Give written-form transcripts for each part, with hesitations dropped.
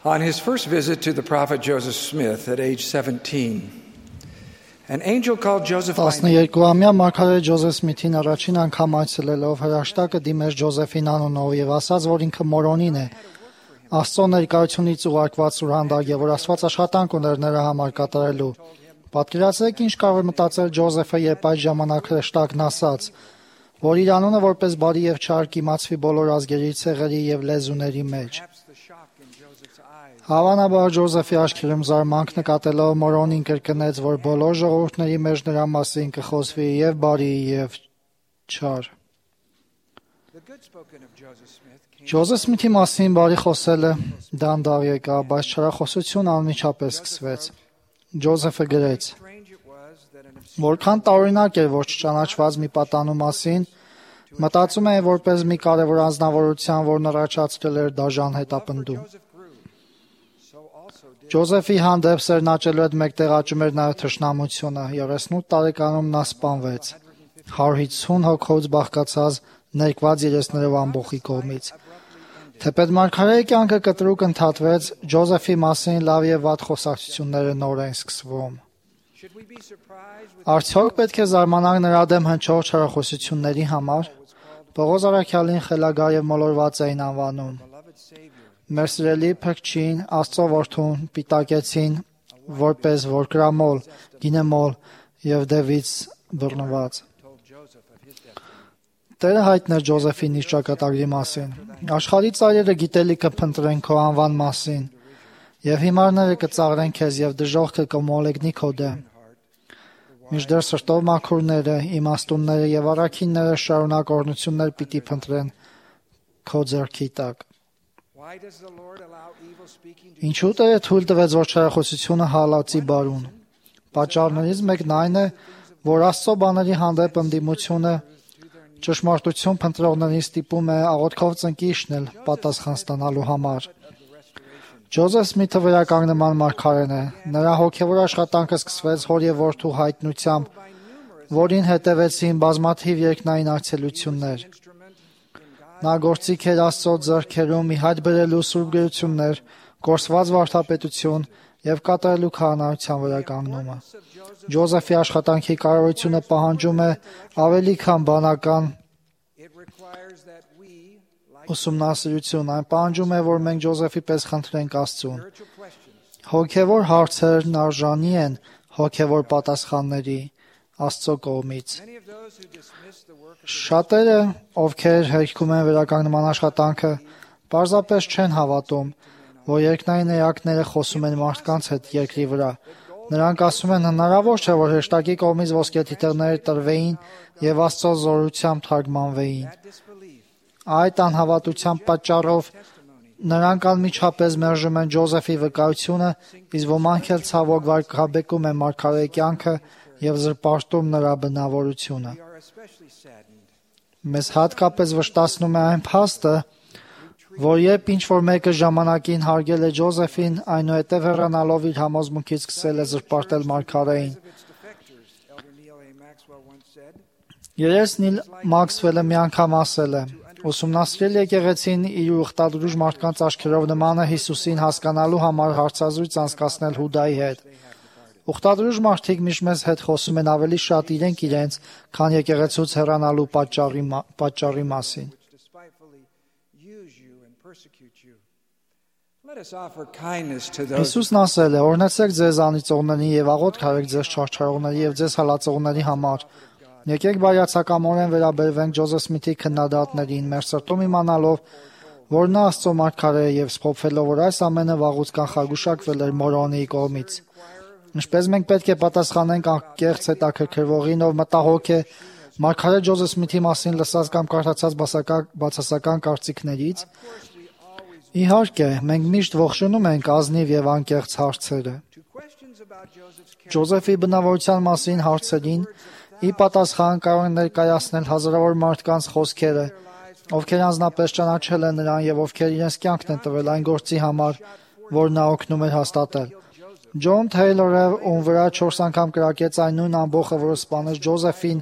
On his first visit to the prophet Joseph Smith at age 17, an angel called Joseph by name 12-ամյա մարգարե Ջոզեֆ Սմիթին առաջին անգամ այցելելով հրաշտակը դիմեց Ջոզեֆին անունով եւ ասաց, որ ինքը մորոնին է։ Աստծո ներկայությունից ուղարկված սուրհանդակ եւ որ Աստված աշխատանք ուներ նրա համար կատարելու։ Պատկերացրեք ինչ կարող է մտածել Ջոզեֆը, երբ այդ ժամանակ հրաշտակն ասաց, որ իր անունը որպես բարի եւ չար կիմացվի բոլոր ազգերի, ցեղերի եւ լեզուների մեջ։ Հավանաբար Ջոզեֆի աչքերում զարմանք նկատելով մորոնին կրկնեց, որ բոլոր ժողովուրդների մեջ նրա մասին կխոսվի եւ բարի եւ չար։ Ջոզեֆ Սմիթի մասին բարի խոսելը դանդաղ եկավ, բայց չարախոսությունը անմիջապես սկսվեց։ Ջոզեֆը գրեց. Որքան տարօրինակ էր, որ չճանաչված մի պատանու մասին մտածում էին որպես մի կարևոր անձնավորության, որն առաջացրել էր դաժան հետապնդում։ Ջոզեֆի հանդեպ սերն աճելու հետ մեկտեղ աճում էր նաև թշնամությունը։ 38 տարեկանում նա սպանվեց 150 հոգուց բաղկացած ներկված երեսներով ամբոխի կողմից։ Թեպետ մարգարեի կյանքը կտրուկ ընդհատվեց, Ջոզեֆի մասին լավ եւ վատ խոսակցությունները նոր են սկսվում։ Արդյոք պետք է զարմանանք նրա դեմ հնչող չարախոսությունների համար։ Պողոս առաքյալին խելագար եւ մոլորված էին անվանում։ Մեր սիրելի փրկչին, Աստծո որդուն պիտակեցին որպես որկրամոլ, գինեմոլ եւ դևից բռնված։ Տերը հայտներ Ջոզեֆի իր ճակատագրի մասին։ Աշխարհի ծայրերը գիտելիքը փնտրեն քո անվան մասին, եւ հիմարները կծաղրեն քեզ եւ դժոխքը կմոլեգնի քո դեմ։ Մինչդեռ սրտով մաքուրները, իմաստունները եւ առաքինները շարունակ օրհնություններ պիտի փնտրեն քո ձեռքի տակ։ Ինչու Տերը թույլ տվեց, որ չարախոսությունը հալածի բարուն։ Պատճառներից մեկն այն է, որ Աստծո բաների հանդեպ ընդդիմությունը ճշմարտություն փնտրողներին ստիպում է աղոթքով ծնկի իջնել պատասխան ստանալու համար։ Ջոզեֆ Սմիթը վերականգնման մարգարեն է։ Նրա հոգևոր աշխատանքը սկսվեց հոր եւ որդու հայտնությամբ, որին հետևեցին բազմաթիվ երկնային այցելություններ։ Նա գործիք էր Աստծո ձեռքերում ի հայտ բերելու սուրբ գրություններ, կորսված վարդապետություն եւ կատարելու քահանայության վերականգնումը։ Ջոզեֆի աշխատանքի կարողությունը պահանջում է ավելի քան բանական ուսումնասիրություն, այն պահանջում է, որ մենք Ջոզեֆի պես խնդրենք Աստծուն։ Հոգևոր հարցերն արժանի են հոգևոր պատասխանների Աստծո կողմից։ Շատերը, ովքեր հերքում են վերականգնման աշխատանքը, պարզապես չեն հավատում, որ երկնային էակները խոսում են մարդկանց հետ երկրի վրա։ Նրանք ասում են հնարավոր չէ, որ հեշտակի կողմից ոսկեթիթեղները տրվեին եւ Աստծո զորությամբ թարգմանվեին։ Այդ անհավատության պատճառով նրանք անմիջապես մերժում են Ջոզեֆի վկայությունը, իսկ ոմանք էլ ցավոք վարկաբեկում են մարգարեի կյանքը եւ զրպարտում նրա բնավորությունը։ Մեզ հատկապես վշտացնում է այն փաստը, որ երբ ինչ-որ մեկը ժամանակին հարգել է Ջոզեֆին, այնուհետև հեռանալով իր համոզմունքից սկսել է զրպարտել մարգարեին։ Երես Նիլ Մաքսվելը մի անգամ ասել է. ուսումնասիրել եկեղեցին իր ուխտադրուժ մարդկանց աչքերով նման է Հիսուսին հասկանալու համար հարցազրույց անցկացնել Հուդայի հետ։ Ուխտադրուժ մարդիկ միշտ մեզ հետ խոսում են ավելի շատ իրենց, քան եկեղեցուց հեռանալու պատճառի մասին։ Հիսուսն ասել է. օրհնեցեք ձեզ անիծողներին եւ աղոթք արեք ձեզ չարչարողների եւ ձեզ հալածողների համար։ Եկեք բարյացակամորեն վերաբերվենք Ջոզեֆ Սմիթի քննադատներին, մեր սրտում իմանալով, որ նա Աստծո մարգարե է եւ սփոփվելով, որ այս ամենը վաղուց կանխագուշակվել էր մորոնի կողմից։ Ինչպես մենք պետք է պատասխանենք անկեղծ հետաքրքրվողին, ով մտահոգ է մարգարե Ջոզեֆ Սմիթի մասին լսած կամ կարդացած բացասական կարծիքներից։ Իհարկե, մենք միշտ ողջունում ենք ազնիվ եւ անկեղծ հարցերը։ Ջոզեֆի բնավորության մասին հարցերին ի պատասխան կարող են ներկայացնել հազարավոր մարդկանց խոսքերը, ովքեր անձնապես ճանաչել են նրան եւ ովքեր իրենց կյանքն են տվել այն գործի համար, որ նա օգնում էր հաստատել։ Ջոն Թեյլորը, ում վրա 4 անգամ կրակեց այն նույն ամբոխը, որը սպանեց Ջոզեֆին,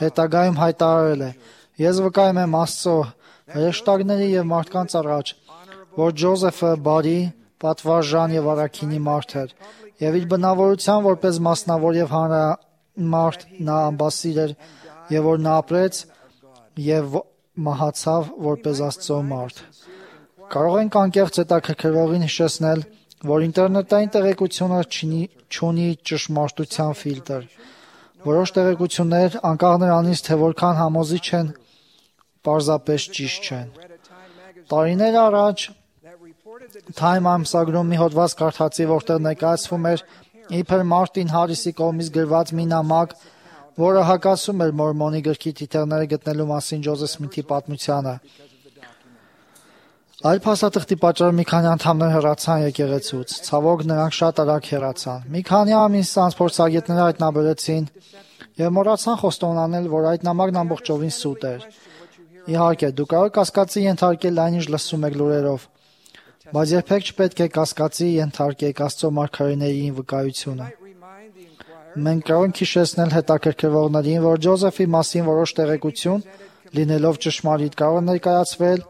հետագայում հայտարարել է. Ես վկայում եմ Աստծո, հրեշտակների եւ մարդկանց առաջ, որ Ջոզեֆը բարի, պատվարժան եւ առաքինի մարդ էր, եւ իր բնավորության որպես մասնավոր եւ հանրամարդ նա ամբասիր էր, եւ որ նա ապրեց եւ մահացավ որպես Աստծո մարդ։ Կարող ենք անկեղծ հետաքրքրվողին հիշեցնել, որ ինտերնետային տեղեկությունը չունի ճշմարտության ֆիլտր։ Որոշ տեղեկություններ, անկախ նրանից, թե որքան համոզիչ են, պարզապես ճիշտ չեն։ Տարիներ առաջ Time ամսագրում մի հոդված կարդացի, որտեղ ներկայացվում էր իբր Մարտին Հարիսի կողմից գրված մի նամակ, որը հակասում էր Մորմոնի գրքի թիթեռները գտնելու մասին Ջոզեֆ Սմիթի պատմությանը։ Այլ փաստաթղթի պատճառով մի քանի անդամներ հեռացան եկեղեցուց։ Ցավոք նրանք շատ արագ հեռացան։ Մի քանի ամիս անց փորձագետները հայտնաբերեցին եւ մոռացան խոստովանել, որ այդ նամակն ամբողջովին սուտ էր։ Իհարկե, դուք կարող եք կասկածի ենթարկել այն, ինչ լսում եք լուրերով, բայց երբեք չպետք է կասկածի ենթարկեք Աստծո մարգարեների վկայությունը։ Մենք կարող ենք հիշեցնել հետաքրքրվողներին, որ Ջոզեֆի մասին որոշ տեղեկություն, լինելով ճշմարիտ, կարող է ներկայացվել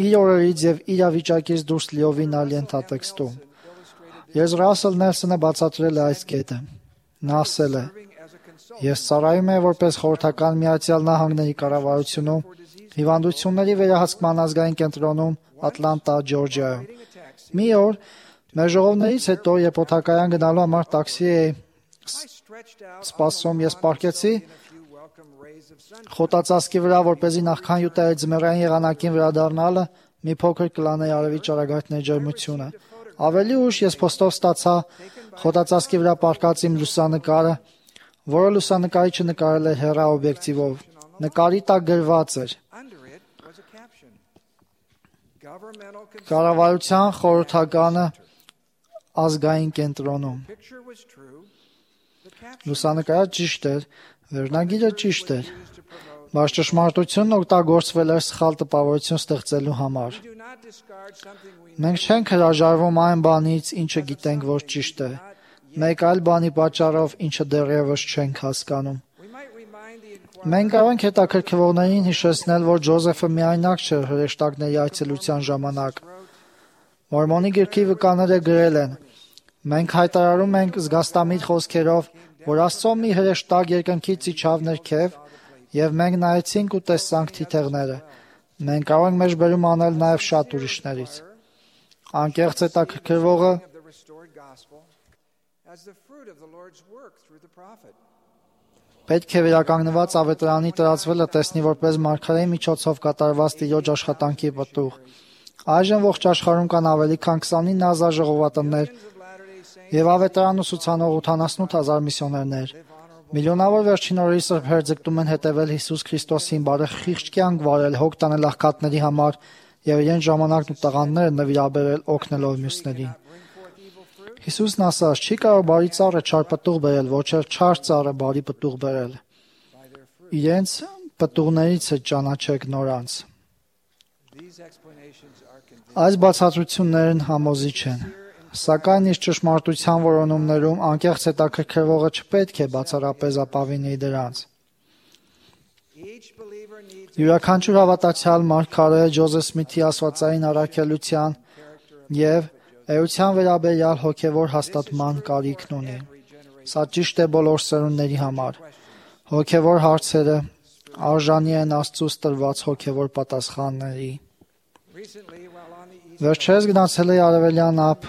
իր օրերից եւ իրավիճակից դուրս լիովին այլ ենթատեքստում։ Ես Ռասել Նելսոնը բացատրել է այս կետը։ Նա ասել է. «Ես ծառայում եմ որպես խորհրդական Միացյալ Նահանգների կառավարությունում հիվանդությունների վերահսկման ազգային կենտրոնում Ատլանտա, Ջորջիայում։ Մի օր մեր ժողովներից հետո, երբ օդակայան գնալու համար տաքսի էի սպասում, ես պառկեցի խոտածածկի վրա, որպեսզի նախքան յուտայի ձմեռային եղանակին վերադառնալը մի փոքր կլանեի արևի ճառագայթների ջերմությունը։ Ավելի ուշ ես փոստով ստացա խոտածածկի վրա պառկած իմ լուսանկարը, որը լուսանկարիչը նկարել էր հեռաօբյեկտիվով։ Նկարի տակ գրված էր. Կառավարության խորհրդականը ազգային կենտրոնում։ Լուսանկարը ճիշտ էր, վերնագիրը ճիշտ էր, բայց ճշմարտությունն օգտագործվել էր սխալ տպավորություն ստեղծելու համար։ Մենք չենք հրաժարվում այն բանից, ինչը գիտենք, որ ճիշտ է, մեկ այլ բանի պատճառով, ինչը դեռևս չենք հասկանում։ Մենք կարող ենք հետաքրքրվողներին հիշեցնել, որ Ջոզեֆը միայնակ չէր հրեշտակների այցելության ժամանակ։ Մորմոնի գրքի վկաները գրել են. «Մենք հայտարարում ենք զգաստամիտ խոսքերով, որ Աստծո մի հրեշտակ երկնքից իջավ ներքև, եւ մենք նայեցինք ու տեսանք թիթեռները։ Մենք կարող ենք մեջբերում անել նաեւ շատ ուրիշներից»։ Անկեղծ հետաքրքրվողը պետք է վերականգնված ավետարանի տարածվելը տեսնի որպես մարգարեի միջոցով կատարված Տիրոջ աշխատանքի պտուղ։ Այժմ ողջ աշխարհում կան ավելի քան 29,000 ժողովատներ եւ ավետարան ուսուցանող 88,000 միսիոներներ։ Միլիոնավոր վերջին օրերի սրբեր ձգտում են հետևել Հիսուս Քրիստոսին, բարը խիղճ կյանք վարել, հոգ տանել աղքատների համար եւ իրեն ժամանակն ու տաղանդները նվիրաբերել օգնելով մյուսներին։ Հիսուսն ասաց. «Չի կարող բարի ծառը չար պտուղ բերել, ոչ էլ չար ծառը բարի պտուղ բերել։ Իրենց պտուղներից է ճանաչեք նորանց»։ Այս բացատրություններն համոզիչ են, սակայն իր ճշմարտության որոնումներում անկեղծ հետաքրքրվողը չպետք է բացառապես ապավինի դրանց։ Յուրաքանչյուր հավատացյալ մարգարե Ջոզեֆ Սմիթի աստվածային առաքելության եւ էության վերաբերյալ հոգևոր հաստատման կարիքն ունի։ Սա ճիշտ է բոլոր սերունդների համար։ Հոգևոր հարցերը արժանի են Աստծուց տրված հոգևոր պատասխանների։ Վերջերս գնացել էի Արևելյան ափ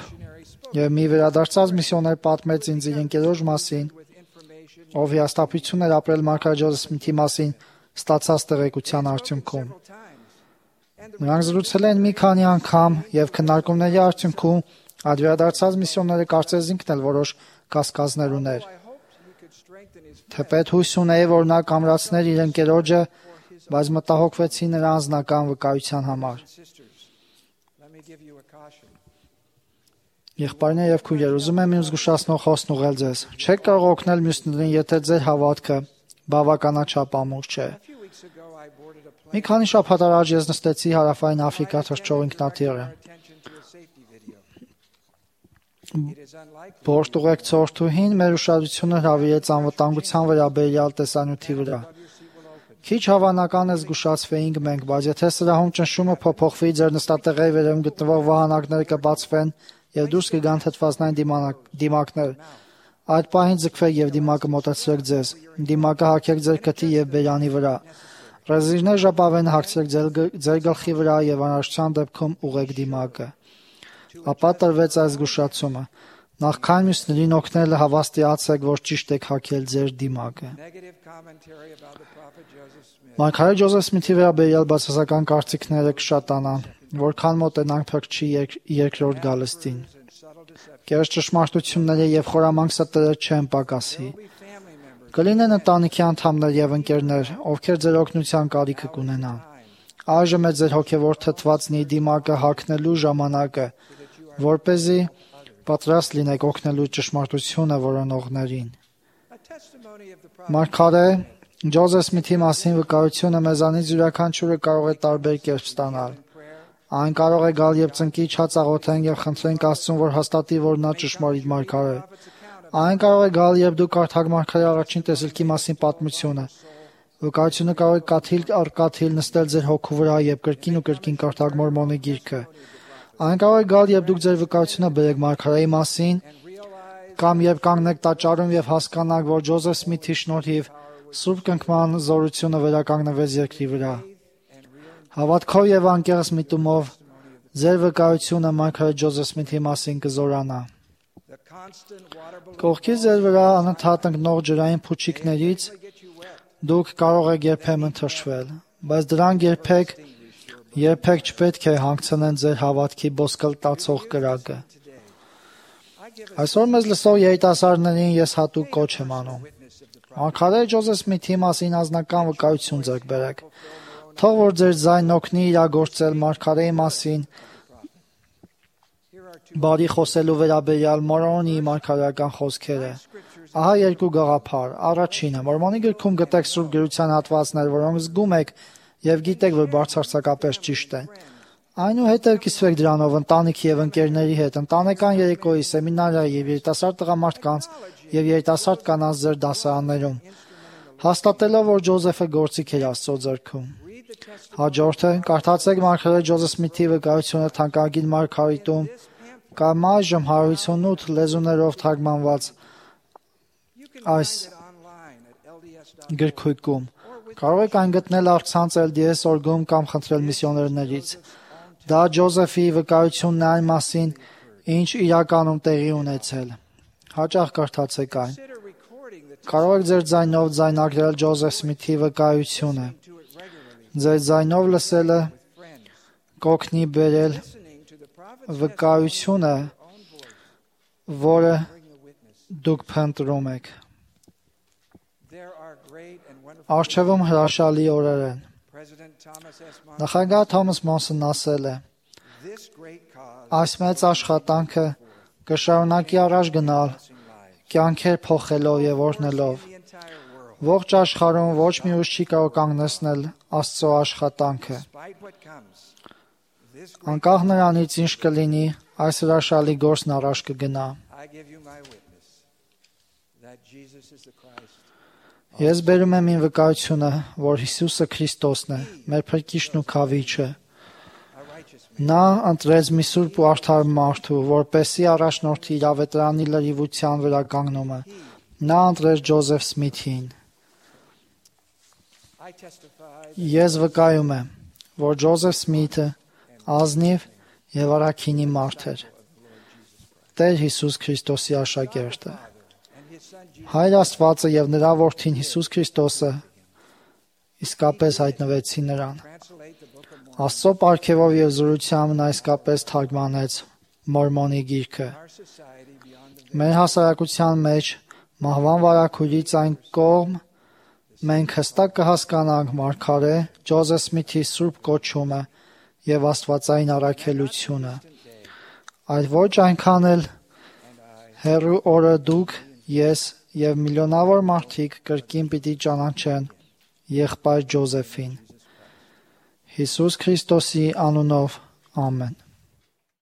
եւ մի վերադարձած միսիոներ պատմեց ինձ իր ընկերոջ մասին, ով հիասթափություն էր ապրել մարգարե Ջոզեֆ Սմիթի մասին ստացած տեղեկության արդյունքում։ Նրանք զրուցել են մի քանի անգամ եւ քննարկումների արդյունքում այդ վերադարձած միսիոները կարծես ինքն էլ որոշ կասկածներ ուներ։ Թեպետ հույս ունեի, որ նա կամրացներ իր ընկերոջը, բայց մտահոգվեցի նրա անձնական վկայության համար։ Եղբայրներ եւ քույրեր, ուզում եմ իմ զգուշացնող խոսքն ուղղել ձեզ։ Չեք կարող օգնել մյուսներին, եթե ձեր հավատքը բավականաչափ ամուր չէ։ Մի քանի շաբաթ առաջ ես նստեցի Հարավային Աֆրիկա թռչող ինքնաթիռը։ Բորտուղեկցորդուհին մեր ուշադրությունը հրավիրեց անվտանգության վերաբերյալ տեսանյութի վրա։ Քիչ հավանական է զգուշացվեինք մենք, բայց եթե սրահում ճնշումը փոփոխվի, ձեր նստատեղերի վերևում գտնվող վահանակները կբացվեն եւ դուրս կգան թթվածնային դիմակներ։ Այդ պահին ձգվեք եւ դիմակը մոտեցրեք ձեզ։ Դիմակը հագեք ձեր քթի եւ բերանի վրա։ Ռեզիրներ ժապավենը հագցրեք ձեր գլխի վրա եւ անհրաժեշտության դեպքում ուղեք դիմակը։ Ապա տրվեց այս զգուշացումը. նախքան մյուսներին օգնելը հավաստիացեք, որ ճիշտ եք հագել ձեր դիմակը։ Մարգարե Ջոզեֆ Սմիթի վերաբերյալ բացասական կարծիքները կշատանան, որքան մոտենանք Փրկչի երկրորդ գալստին։ Կեղծ ճշմարտությունները եւ խորամանկ ստերը չեն պակասի։ Կլինեն ընտանիքի անդամներ եւ ընկերներ, ովքեր ձեր օգնության կարիքը կունենան։ Այժմ է ձեր հոգեվոր թթվածնի դիմակը հագնելու ժամանակը, որպեսզի պատրաստ լինեք օգնելու ճշմարտությունը որոնողներին։ Մարգարե Ջոզեֆ Սմիթի մասին վկայությունը մեզանից յուրաքանչյուրը կարող է տարբեր կերպ ստանալ։ Այն կարող է գալ, երբ ծնկի չածաղոթենք եւ խնդրենք Աստծուն, որ հաստատի, որ նա ճշմարիտ մարգար է։ Այն կարող է գալ, երբ դուք կարդաք մարգարեի առաջին տեսիլքի մասին պատմությունը։ Վկայությունը կարող է կաթիլ առ կաթիլ նստել ձեր հոգու վրա եւ կրկին ու կրկին կարդաք Մորմոնի գիրքը։ Այն կարող է գալ, երբ դուք ձեր վկայությունը բերեք մարգարեի մասին, կամ երբ կանգնեք տաճարում եւ հասկանաք, որ Ջոզեֆ Սմիթի շնորհիվ Սուրբ կնքման զորությունը վերականգնվեց երկրի վրա։ Հավատքով եւ անկեղծ միտումով ձեր վկայությունը մարգարե Ջոզեֆ Սմիթի մասին կզորանա։ Կողքից ձեր վրա անընդհատ ընկնող ջրային փուչիկներից դուք կարող եք երբեմն թշվել, բայց դրանք երբեք չպետք է հանգցնեն ձեր հավատքի ոսկլտացող կրակը։ Այսօր մեզ լսող երիտասարդներին ես հատուկ կոչ եմ անում։ Մարգարե Ջոզեֆ Սմիթի մասին անձնական վկայություն ձեռք բերեք։ Թող որ ձեր ձայնն օգնի իրագործել մարգարեի մասին բարի խոսելու վերաբերյալ Մորմոնի մարգարեական խոսքերը։ Ահա երկու գաղափար։ Առաջինը, Մորմոնի գրքում գտեք Սուրբ գրության հատվածներ, որոնք զգում եք եւ գիտեք, որ բարձրացակապես ճիշտ են։ Այնուհետև կիսվեք դրանով ընտանիքի եւ ընկերների հետ, ընտանեկան երեկոյի, սեմինարի եւ երիտասարդ տղամարդկանց եւ երիտասարդ կանանց ձեր դասարաններում, հաստատելով, որ Ջոզեֆը գործիք էր Աստծո ձեռքում։ Հաջորդը, կարդացեք մարգարե Ջոզեֆ Սմիթի վկայությունը թանկագին մարգարիտում կամ այժմ 158 լեզուներով թարգմանված այս գրքույկում։ Կարող եք այն գտնել առցանց LDS.org-ում կամ խնդրել միսիոներներից։ Դա Ջոզեֆի վկայությունն է այն մասին, ինչ իրականում տեղի ունեցել։ Հաճախ կարդացեք այն։ Կարող եք ձեր ձայնով ձայնագրել Ջոզեֆ Սմիթի վկայությունը։ Ձեր ձայնով լսելը կօգնի բերել վկայությունը, որը դուք փնտրում եք։ Առջևում հրաշալի օրեր են։ Նախագահ Թոմաս Մոնսոնն ասել է. այս մեծ աշխատանքը կշարունակի առաջ գնալ, կյանքեր փոխելով եւ օրհնելով։ Ողջ աշխարհում ոչ մի ուժ չի կարող կանգնեցնել Աստծո աշխատանքը։ Անկախ նրանից ինչ կլինի, այս հրաշալի գործն առաջ կգնա։ Ես բերում եմ իմ վկայությունը, որ Հիսուսը Քրիստոսն է, մեր Փրկիչն ու Քավիչը։ Նա ընտրեց մի սուրբ ու արդար մարդու, որպեսզի առաջնորդի իր ավետարանի լրիվության վրա կանգնումը։ Նա ընտրեց Ջոզեֆ Սմիթին։ Ես վկայում եմ, որ Ջոզեֆ Սմիթը ազնիվ եւ առաքինի մարդ էր։ Տեր Հիսուս Քրիստոսի աշակերտը։ Հայր Աստվածը եւ նրա որդին Հիսուս Քրիստոսը իսկապես հայտնվեցին նրան։ Աստծո պարգևով եւ զորությամբ նա իսկապես թարգմանեց Մորմոնի գիրքը։ Մեր հասարակության մեջ մահվան վարակույրից այն կողմ մենք հստակ կհասկանանք մարգարե Ջոզեֆ Սմիթի սուրբ կոչումը եւ աստվածային առաքելությունը։ Այդ ոչ այնքան էլ հեռու օրը դուք, ես եւ միլիոնավոր մարդիկ կրկին պիտի ճանաչեն եղբայր Ջոզեֆին։ Հիսուս Քրիստոսի անունով ամեն։